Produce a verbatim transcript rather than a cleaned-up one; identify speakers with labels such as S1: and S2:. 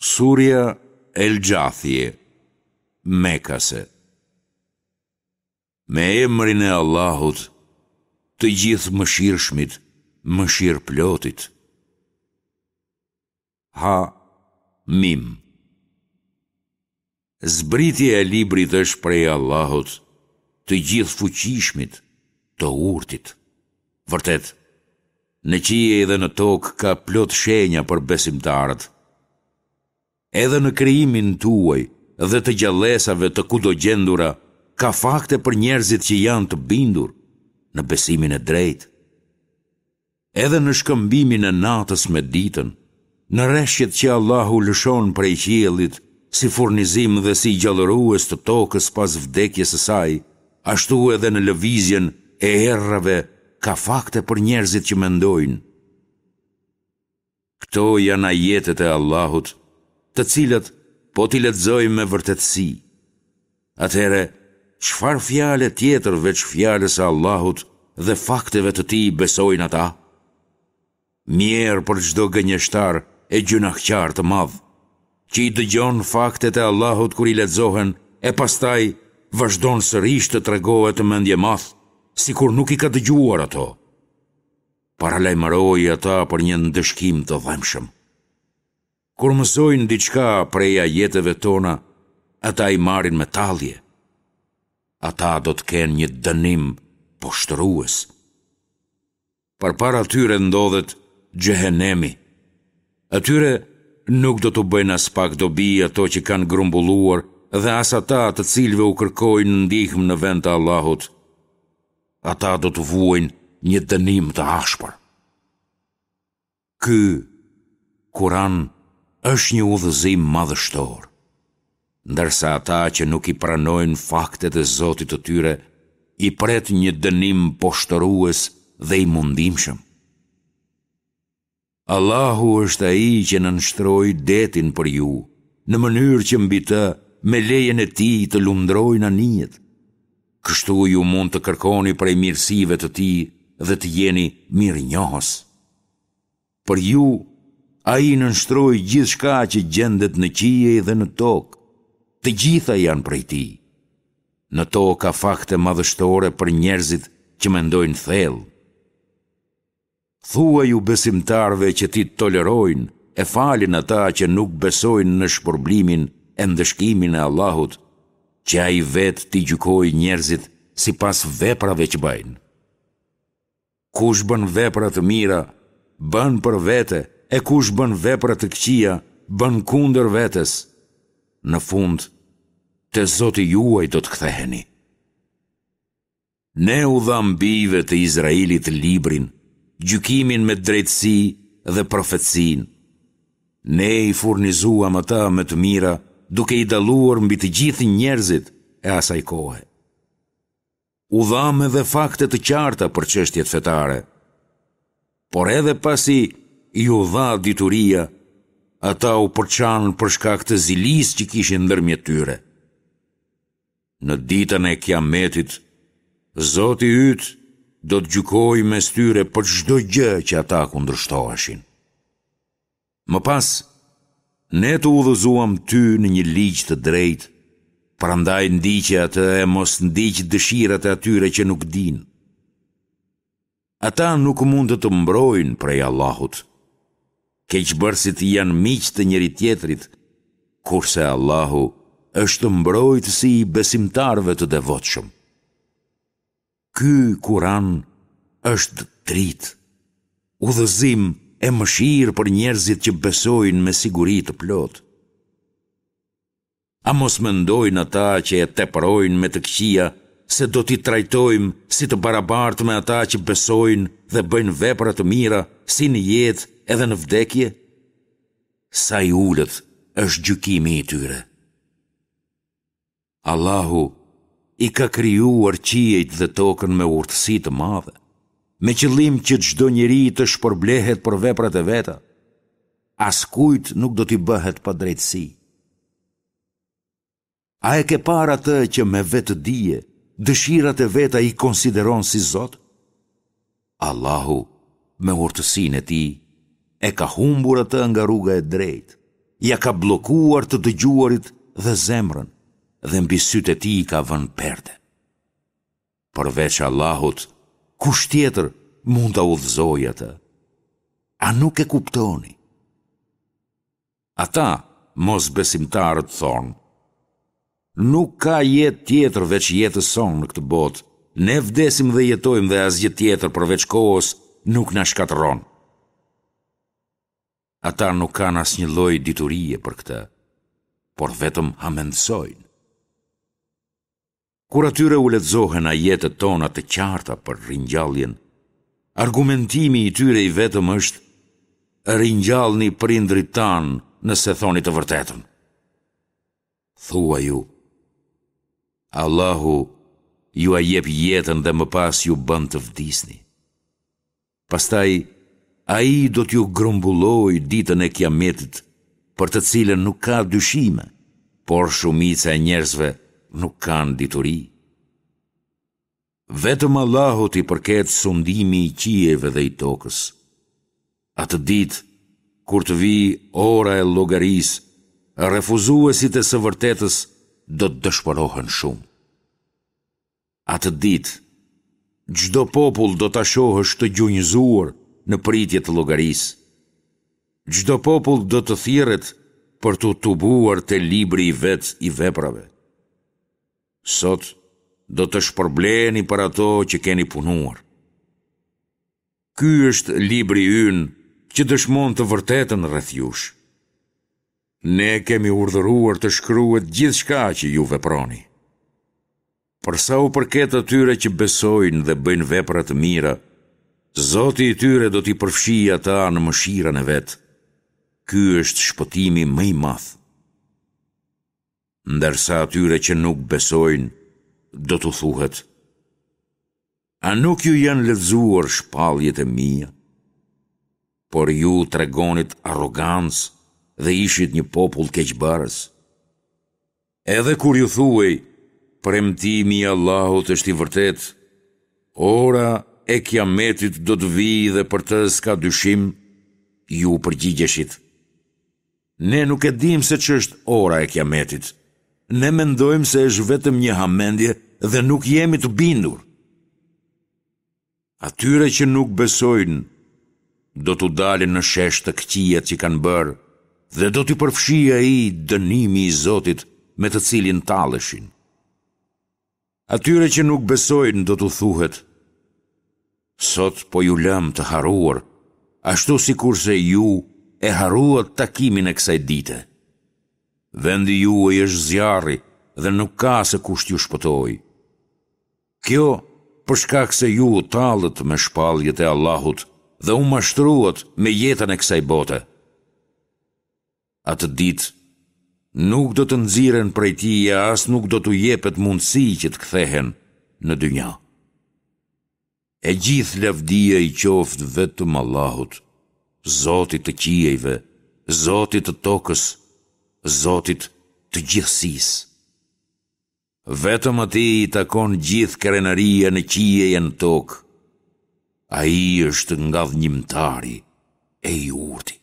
S1: Surja El Xhathije, Mekase. Me emrin e Allahut, të Gjithëmëshirshmit, mëshirëplotit. Ha Mim. Zbritja e librit është prej Allahut, të Gjithëfuqishmit, të Urtit. Vërtet, në qiej dhe në tokë ka plot shenja për besimtarët. Edhe në krijimin tuaj dhe të gjallesave të kudogjendura ka fakte për njerëzit që janë të bindur në besimin e drejtë. Edhe në shkëmbimin e natës me ditën, në reshjet që Allahu lëshon prej qiellit si furnizim dhe si gjallërues të tokës pas vdekjes së saj, ashtu edhe në lëvizjen e erërave ka fakte për njerëzit që mendojnë. Këto janë ajetet e Allahut, të cilat po t'i lexojmë me vërtetësi. Atëherë, çfarë fjale tjetër veç fjalës së Allahut dhe fakteve të tij besojnë ata? Mjerë për çdo gënjeshtar e gjynahqar të madh, që i dëgjon faktet e Allahut kur i lexohen e pastaj vazhdon sërish të tregohet mendjemadh, sikur nuk i ka dëgjuar ato. Paralajmëroji ata për një ndëshkim të dhembshëm. Kur mësojnë diçka prej ajeteve tona, ata i marrin me tallje. Ata do të kenë një dënim poshtërues. Përpara tyre ndodhet Xhehenemi. Atyre nuk do t'u bëjnë aspak dobi ato që kanë grumbulluar dhe as ata të cilëve u kërkojnë ndihmë në vend të Allahut. Ata do të vuajnë një dënim të ashpër. Ky Kuran është një udhëzim madhështor, ndërsa ata që nuk i pranojnë faktet e Zotit të tyre, i pret një dënim poshtërues dhe i mundimshëm. Allahu është ai që nënshtroi detin për ju, në mënyrë që mbi të, me lejen e tij të lundrojnë anijet. Kështu ju mund të kërkoni prej mirësive të tij dhe të jeni mirënjohës. Për ju, ai nënshtroi gjithçka që gjendet në qiej dhe në tokë, të gjitha janë prej tij. Në to ka fakte madhështore për njerëzit që mendojnë thellë. Thuaju besimtarëve që t'i tolerojnë e falin ata që nuk besojnë në shpërblimin e ndëshkimin e Allahut, që Ai vetë t'i gjykojë njerëzit sipas veprave që bëjnë. Kush bën vepra të mira, bën për vete, e kush bën vepra të këqija, bën kundër vetes. Në fund, te Zoti juaj do të ktheheni. Ne u dhamë bijve të Izraelit librin, gjykimin me drejtësi dhe profecinë. Ne i furnizuam ata me të mira, duke i dalluar mbi të gjithë njerëzit e asaj kohe. U dhamë edhe fakte të qarta për çështjet fetare. Por edhe pasi iu dha dituria, ata u përçanë për shkak të zilisë që kishin ndërmjet tyre. Në ditën e Kiametit, Zoti yt do të gjykojë mes tyre për çdo gjë që ata kundërshtoheshin. Më pas, ne të udhëzuam ty në një ligj të drejtë, prandaj ndiqe atë e mos ndiq dëshirat e atyre që nuk dinë. Ata nuk mund të të mbrojnë prej Allahut. Keqbërësit janë miq të njëri-tjetrit, kurse Allahu është mbrojtësi i besimtarëve të devotshëm. Ky Kuran është dritë, udhëzim e mëshirë për njerëzit që besojnë me siguri të plotë. A mos mendojnë ata që e teprojnë me të këqija se do t'i trajtojmë si të barabartë me ata që besojnë dhe bëjnë vepra të mira si në jetë edhe në vdekje? Sa i ulët është gjykimi i tyre. Allahu i ka krijuar qiejt dhe tokën me urtësi të madhe, me qëllim që çdo njeri të shpërblehet për veprat e veta. Askujt nuk do t'i bëhet padrejtësi. A e ke parë atë që me vetëdije dëshirat e veta i konsideron si Zot? Allahu, me urtësinë e tij, e ka humbur atë nga rruga e drejtë, ia ka bllokuar të dëgjuarit dhe zemrën dhe mbi sytë e tij ka vënë perde. Përveç Allahut, kush tjetër mund ta udhëzojë atë? A nuk e kuptoni? Ata, mosbesimtarët, thonë, Nuk ka jetë tjetër veç jetës sonë në këtë botë, ne vdesim dhe jetojmë dhe asgjë tjetër përveç kohës nuk na shkatërron. Ata nuk kanë asnjë lloj diturie për këtë, por vetëm hamendësojnë. Kur atyre u lexohen ajetet tona të qarta për ringjalljen, argumentimi i tyre i vetëm është ringjallni prindërit tanë nëse thoni të vërtetën. Thuaju, Allahu jua jep jetën dhe më pas ju bën të vdisni. Pastaj, Ai do t'ju grumbullojë ditën e Kiametit, për të cilën nuk ka dyshime, por shumica e njerëzve nuk kanë dituri. Vetëm Allahut i përket sundimi i qiejve dhe i tokës. Atë ditë, kur të vijë ora e llogarisë, refuzuesit e së vërtetës do të dëshpërohen shumë. Atë ditë, çdo popull do ta shohësh të gjunjëzuar në pritje të llogarisë. Çdo popull do të thirret për t'u tubuar te libri i vet i veprave. Sot do të shpërbleheni për ato që keni punuar. Ky është libri ynë që dëshmon të vërtetën rreth jush. Ne kemi urdhëruar të shkruhet gjithçka që ju veproni. Për sa u përket atyre që besojnë dhe bëjnë vepra të mira, Zoti i tyre do t'i përfshijë ata në mëshirën e vet. Ky është shpëtimi më i madh. Ndërsa atyre që nuk besojnë, do t'u thuhet: A nuk ju janë lexuar shpalljet e mia? Por ju tregonit arrogancë dhe ishit një popull keqbërës. Edhe kur ju thuhej, premtimi i Allahut është i vërtetë, ora e Kiametit do të vijë dhe për të s'ka dyshim, ju përgjigjeshit. Ne nuk e dimë se ç'është ora e Kiametit. Ne mendojmë se është vetëm një hamendje dhe nuk jemi të bindur. Atyre që nuk besojnë, do t'u dalin në shesh të këqijat që kanë bërë dhe do t'i përfshijë ai dënimi i Zotit me të cilin talleshin. Atyre që nuk besojnë do t'u thuhet, sot po ju lëmë të harruar, ashtu sikurse ju e harruat takimin e kësaj dite. Vendi juaj është zjarri dhe nuk ka se kush t'ju shpëtojë. Kjo për shkak se ju u tallët me shpalljet e Allahut dhe u mashtruat me jetën e kësaj bote. Atë ditë nuk do të nxirren prej tij e as nuk do t'u jepet mundësi që të kthehen në dynja. E gjithë lavdia i qoftë vetëm Allahut, Zotit të qiejve, Zotit të tokës, Zotit të gjithësisë. Vetëm atij i takon gjithë krenaria në qiej e në tokë. Ai është ngadhënjimtari e i urti.